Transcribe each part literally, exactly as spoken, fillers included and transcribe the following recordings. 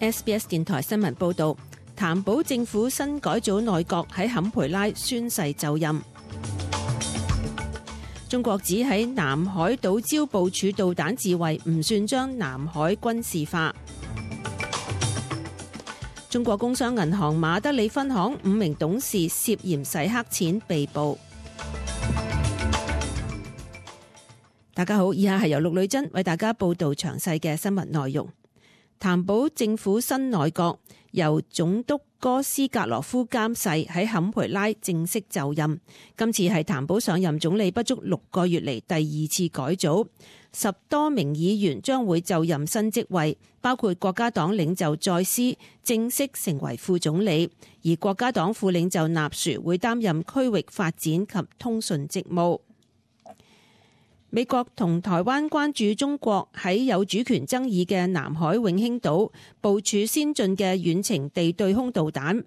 S B S 電台新聞報導，譚寶政府新改組內閣喺坎培拉宣誓就任。中國指喺南海島礁部署導彈自衛唔算將南海軍事化。中國工商銀行馬德里分行五名董事涉嫌洗黑錢被捕。大家好，以下係由陸女珍為大家報道詳細嘅新聞內容。譚寶政府新內閣由總督哥斯格羅夫監誓喺坎培拉正式就任。今次係譚寶上任總理不足六個月嚟第二次改組，十多名議員將會就任新職位，包括國家黨領袖再斯正式成為副總理，而國家黨副領袖納殊會擔任區域發展及通訊職務。美國同台灣關注中國喺有主權爭議嘅南海永興島部署先進嘅遠程地對空導彈。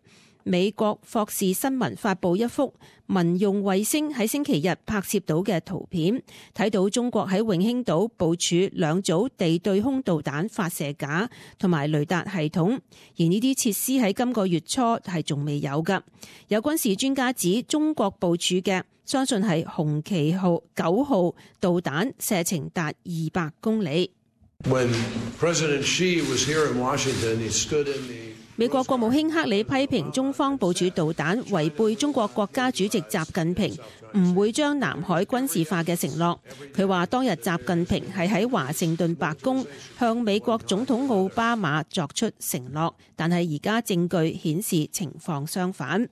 美國霍士新聞發布一幅民用衛星喺星期日拍攝到嘅圖片，睇到中國喺永興島部署兩組地對空導彈發射架同埋雷達系統，而呢啲設施喺今個月初係仲未有㗎。有軍事專家指中國部署嘅相信係紅旗號九號導彈，射程達二百公里。When President Xi was here in Washington, he stood in the美國國務卿克里批評中方部署導彈違背中國國家主席習近平唔會將南海軍事化嘅承諾。佢話當日習近平係喺華盛頓白宮向美國總統奧巴馬作出承諾，但係而家證據顯示情況相反。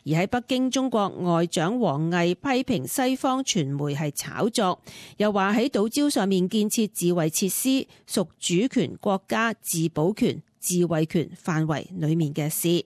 而喺北京，中國外長王毅批評西方傳媒係炒作，又話喺島礁上面建設自衛設施屬主權國家自保權自衛權範圍裡面嘅事。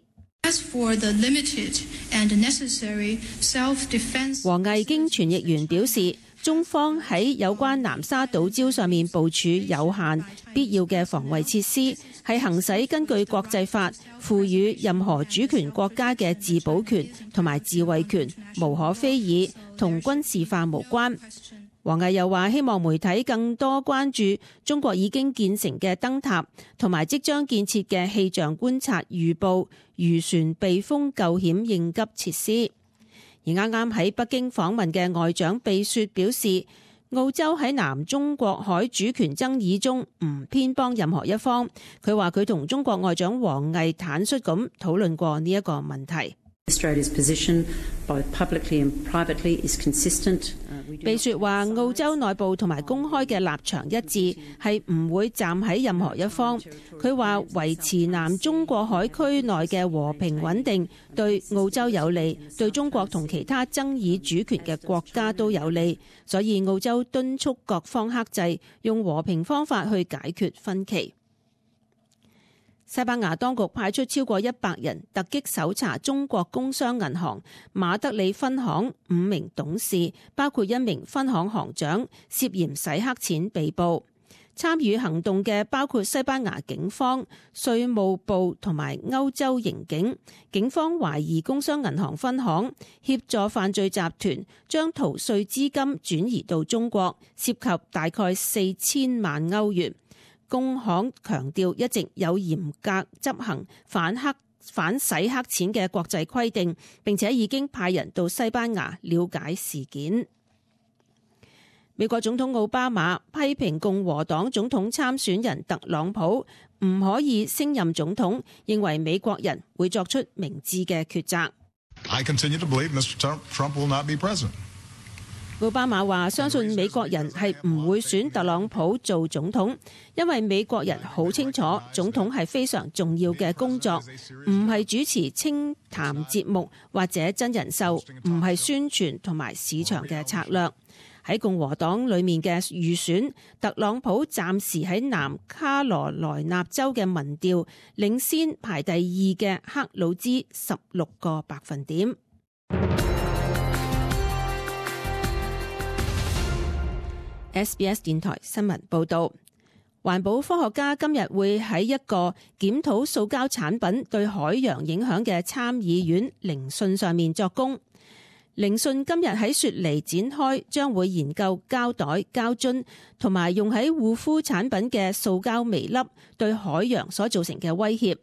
王毅經傳譯員表示，中方喺有關南沙島礁上面部署有限必要嘅防衛設施，係行使根據國際法賦予任何主權國家嘅自保權同埋自衛權，無可非議，同軍事化無關。王毅又話，希望媒體更多關注中國已經建成嘅燈塔同埋即將建設嘅氣象觀察預報、漁船避風救險應急設施。而啱啱喺北京訪問嘅外長貝雪表示，澳洲喺南中國海主權爭議中唔偏幫任何一方。佢話佢同中國外長王毅坦率咁討論過呢一個問題。貝雪話澳洲內部同埋公開嘅立場一致，係唔會站喺任何一方。佢話維持南中國海區內嘅和平穩定對澳洲有利，對中國同其他爭議主權嘅國家都有利，所以澳洲敦促各方克制，用和平方法去解決分歧。西班牙當局派出超過一百人突擊搜查中國工商銀行馬德里分行五名董事，包括一名分行行長，涉嫌洗黑錢被捕。參與行動嘅包括西班牙警方、稅務部同埋歐洲刑警。警方懷疑工商銀行分行協助犯罪集團將逃稅資金轉移到中國，涉及大概四千萬歐元。工行強調一直有嚴格執行反黑反洗黑錢嘅國際規定，並且已經派人到西班牙了解事件。美國總統奧巴馬批評共和黨總統參選人特朗普唔可以升任總統，認為美國人會作出明智嘅抉擇。I continue to believe Mister Trump will not be president. 奧巴馬話相信美國人係唔會選特朗普做總統，因為美國人好清楚總統係非常重要嘅工作，唔係主持清談節目或者真人秀，唔係宣傳同埋市場嘅策略。喺共和黨裏面嘅預選，特朗普暫時喺南卡羅來納州嘅民調領先排第二嘅克魯茲十六個百分點。S B S 電台新聞報導，環保科學家今日會喺一個檢討塑膠產品對海洋影響嘅參議院聆訊上面作供。聆訊今日喺雪梨展開，將會研究膠袋、膠樽同埋用喺護膚產品嘅塑膠微粒對海洋所造成嘅威脅。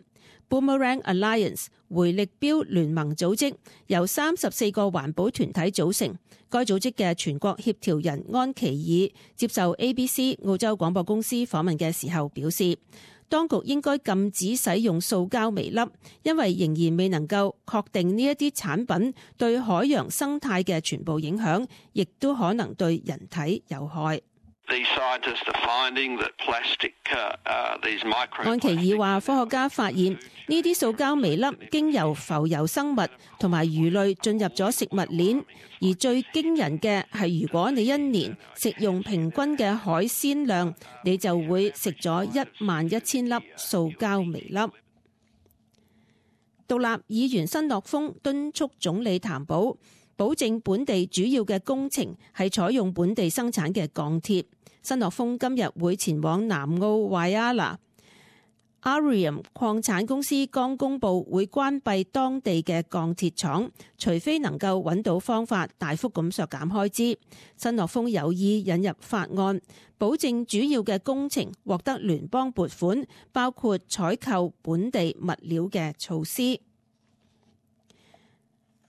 Boomerang Alliance 回力鏢聯盟組織由三十四個環保團體組成，該組織嘅全國協調人安琪爾接受 A B C 澳洲廣播公司訪問嘅時候表示，當局應該禁止使用塑膠微粒，因為仍然未能夠確定呢一啲產品對海洋生態嘅全部影響，亦都可能對人體有害。安琪爾話，科學家發現呢啲塑膠微粒經由浮游生物同埋魚類進入咗食物鏈，而最驚人嘅係，如果你一年食用平均嘅海鮮量，你就會食咗一萬一千粒塑膠微粒。獨立議員申諾峰敦促總理譚寶保證本地主要嘅工程係採用本地生產嘅鋼鐵。申諾峰今日會前往南澳 Whyalla。Arium 礦產公司剛公布會關閉當地嘅鋼鐵廠，除非能夠揾到方法大幅咁削減開支。申諾峰有意引入法案，保證主要嘅工程獲得聯邦撥款，包括採購本地物料嘅措施。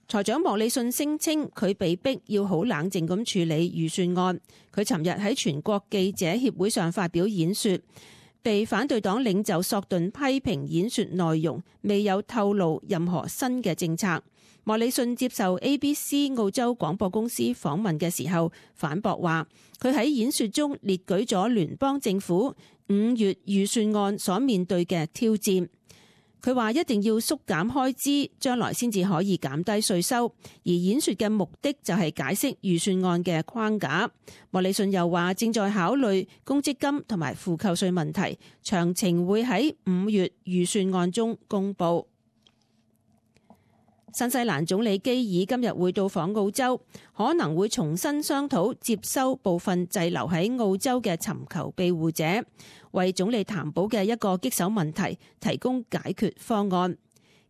財長莫里遜聲稱佢被逼要好冷靜咁處理預算案。佢尋日喺全國記者協會上發表演說，被反對黨領袖索頓批評演說內容未有透露任何新嘅政策。莫里遜接受 A B C 澳洲廣播公司訪問嘅時候反駁話，佢喺演說中列舉咗聯邦政府五月預算案所面對嘅挑戰。佢話一定要縮減開支，將來先至可以減低稅收。而演說嘅目的就係解釋預算案嘅框架。莫里遜又話正在考慮公積金同埋負扣稅問題，詳情會喺五月預算案中公佈。新西蘭總理基爾今日會到訪澳洲，可能會重新商討接收部分滯留喺澳洲嘅尋求庇護者，為總理譚寶嘅一個棘手問題提供解決方案。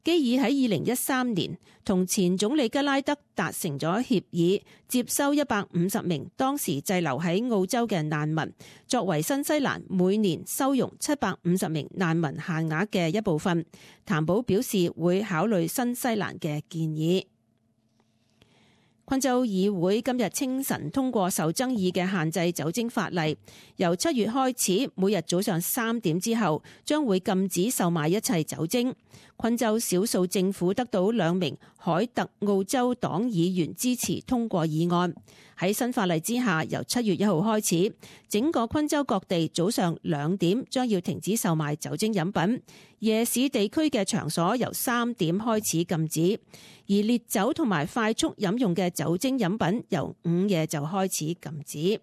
基爾喺二零一三年同前總理吉拉德達成咗協議，接收一百五十名當時滯留喺澳洲嘅難民，作為新西蘭每年收容七百五十名難民限額嘅一部分。譚寶表示會考慮新西蘭嘅建議。昆州議會今日清晨通過受爭議嘅限制酒精法例，由七月開始，每日早上三點之後將會禁止售賣一切酒精。昆州少數政府得到兩名海特澳洲黨議員支持通過議案。喺新法例之下，由七月一號開始，整個昆州各地早上兩點將要停止售賣酒精飲品，夜市地區嘅場所由三點開始禁止，而烈酒同埋快速飲用嘅酒精飲品由午夜就開始禁止。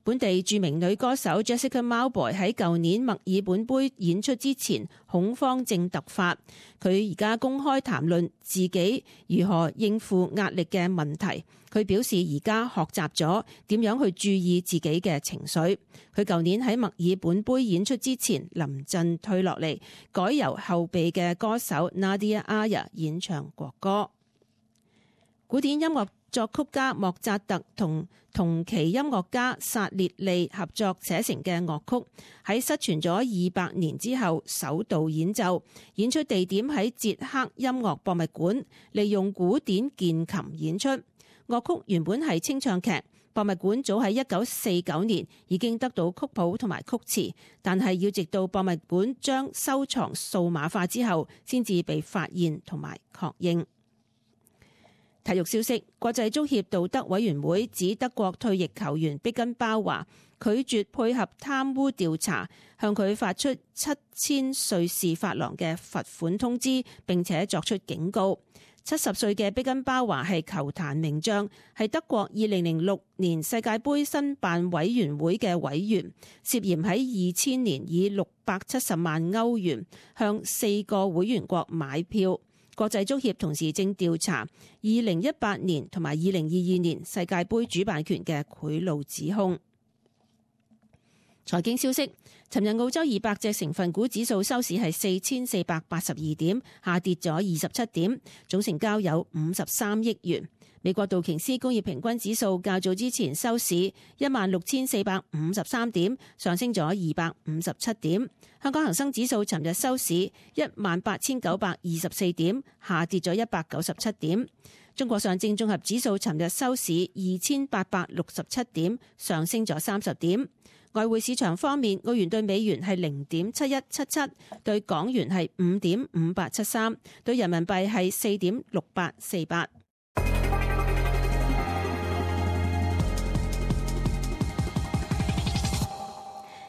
本地著名女歌手 Jessica Mauboy 喺舊年墨爾本杯演出之前恐慌症突發，佢而家公開談論自己如何應付壓力嘅問題。佢表示而家學習咗點樣去注意自己嘅情緒。佢舊年喺墨爾本杯演出之前臨陣退落嚟，改由後備嘅歌手 Nadia Aya 演唱國歌。古典音樂作曲家莫扎特同同期音樂家薩列利合作寫成嘅樂曲，喺失傳咗二百年之後首度演奏，演出地點喺捷克音樂博物館，利用古典鍵琴演出。樂曲原本係清唱劇，博物館早喺一九四九年已經得到曲譜同埋曲詞，但係要直到博物館將收藏數碼化之後，先至被發現同埋確認。體育消息，國際足協道德委員會指德國退役球員碧根包華拒絕配合貪污調查，向佢發出七千瑞士法郎嘅罰款通知，並且作出警告。七十歲嘅碧根包華係球壇名將，係德國二零零六年世界盃申辦委員會嘅委員，涉嫌喺二千年以六百七十萬歐元向四個會員國買票。國際足協同時正調查二零一八年同埋二零二二年世界盃主辦權嘅賄賂指控。財經消息，尋日澳洲二百隻成分股指數收市係四千四百八十二點，下跌咗二十七點，總成交有五十三億元。美國道瓊斯工業平均指數較早之前收市一萬六千四百五十三點，上升咗二百五十七點。香港恒生指數尋日收市一萬八千九百二十四點，下跌咗一百九十七點。中國上證綜合指數尋日收市二千八百六十七點，上升咗三十點。外匯市場方面，澳元對美元係零點七一七七，對港元係五點五八七三，對人民幣係四點六八四八。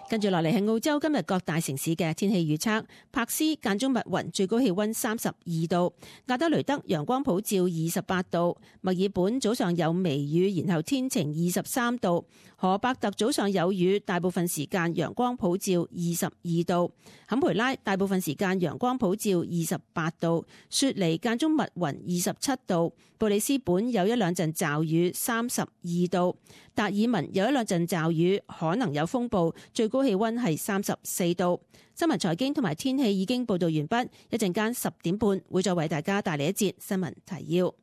跟住落嚟係澳洲今日各大城市嘅天氣預測。柏斯間中密雲，最高氣溫三十二度；亞德雷德陽光普照，二十八度；墨爾本早上有微雨，然後天晴，二十三度；荷伯特早上有雨，大部分時間陽光普照，二十二度；坎培拉大部分時間陽光普照，二十八度；雪梨間中密雲，二十七度；布里斯本有一兩陣驟雨，三十二度；達爾文有一兩陣驟雨，可能有風暴，最高氣溫係三十四度。新聞財經同埋天氣已經報道完畢，一陣間十點半會再為大家帶嚟一節新聞提要。